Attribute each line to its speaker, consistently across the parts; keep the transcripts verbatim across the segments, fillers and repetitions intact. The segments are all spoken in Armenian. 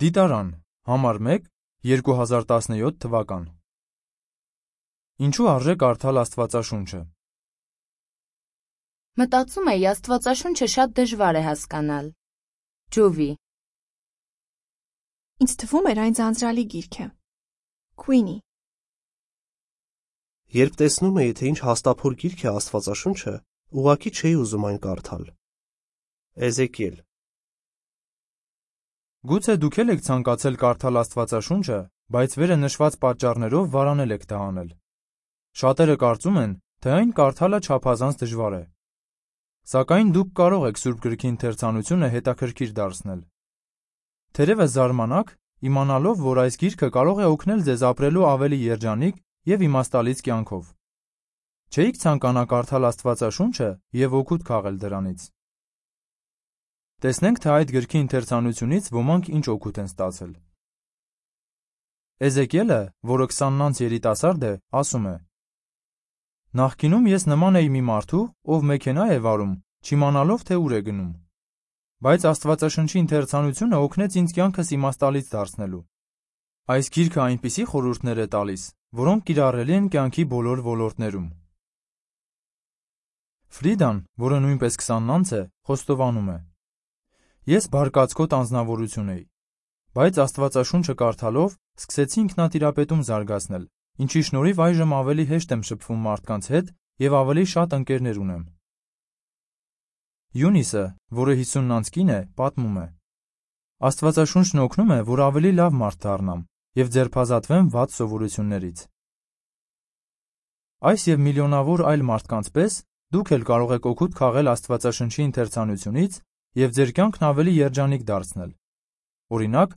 Speaker 1: Դիտարան, համար մեկ, երկու հազար տասնյոթ թվական։ Ինչու արժե կարդալ Աստվածաշունչը։
Speaker 2: Մտածում էի, Աստվածաշունչը շատ դժվար է հասկանալ։ Ջովի։
Speaker 3: Ինձ թվում էր այն ձանձրալի գիրք է։ Քուինի։
Speaker 4: Երբ տեսնում էի, թե ինչ հաստափոր գիրք է Աստվածաշունչը, ուղղակի չէի ուզում այն կարդալ։ Էզեկիել։
Speaker 1: Գուցե դուք էլ եք ցանկացել կարդալ Աստվածաշունչը, բայց վերը նշված պատճառներով վարանել եք դա անել։ Շատերը կարծում են, թե այն կարդալը չափազանց դժվար է։ Սակայն դուք կարող եք Սուրբ գրքի ընթերցանությունը հետաքրքիր դարձնել։ Թերևս զարմանաք, իմանալով, որ այս գիրքը կարող է օգնել ձեզ ապրելու ավելի երջանիկ և իմաստալից կյանքով։ Չէիք ցանկանա կարդալ Աստվածաշունչը և օգուտ քաղել դրանից։ Տեսնենք, թե այդ գրքի ընթերցանությունից ոմանք ինչ օգուտ են ստացել։ Էզեկիելը, որը քսաննանց երիտասարդ է, ասում է. Նախկինում ես նման էի մի մարդու, ով մեքենա է վարում, չիմանալով, թե ուր է գնում։ Բայց Աստվածաշնչի ընթերցանությունը օգնեց ինձ կյանքս իմաստալից դարձնելու։ Այս գիրքը այնպիսի խորհուրդներ է տալիս, որոնք կիրառելի են կյանքի բոլոր ոլորտներում։ Ֆրիդան, որը նույնպես քսաննանց է, խոստովանում է. Ես բարկացկոտ անձնավորություն էի, բայց Աստվածաշունչը կարդալով սկսեցի ինքնատիրապետում զարգացնել, ինչի շնորհիվ այժմ ավելի հեշտ եմ շփվում մարդկանց հետ և ավելի շատ ընկերներ ունեմ։ Յունիսը, որը հիսուննանց կին է, պատմում է. Աստվածաշունչն օգնում է, որ ավելի լավ մարդ դառնամ և ձերբազատվեմ վատ սովորություններից։ Այս և միլիոնավոր այլ մարդկանց պես դուք էլ կարող եք օգուտ քաղել Աստվածաշնչի ընթերցանությունից և ձեր կյանքն ավելի երջանիկ դարձնել։ Օրինակ,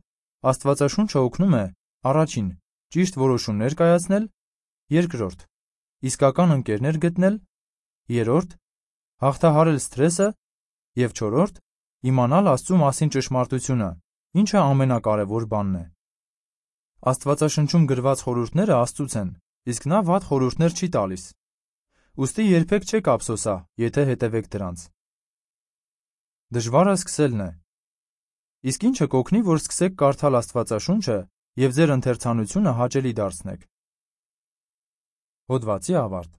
Speaker 1: Աստվածաշունչը օգնում է առաջին. Ճիշտ որոշումներ կայացնել, երկրորդ. Իսկական ընկերներ գտնել, երրորդ. Հաղթահարել սթրեսը և չորրորդ. Իմանալ Աստծու մասին ճշմարտությունը, ինչը ամենակարևոր բանն է։ Աստվածաշնչում գրված խորհուրդները Աստծուց են, իսկ նա վատ խորհուրդներ չի տալիս։ Ուստի երբեք չեք ափսոսա, եթե հետևեք դրանց։ Դժվարը սկսելն է։ Իսկ ինչը կօգնի, որ սկսեք կարդալ Աստվածաշունչը և ձեր ընթերցանությունը հաճելի դարձնեք։ Հոդվացի ավարտ։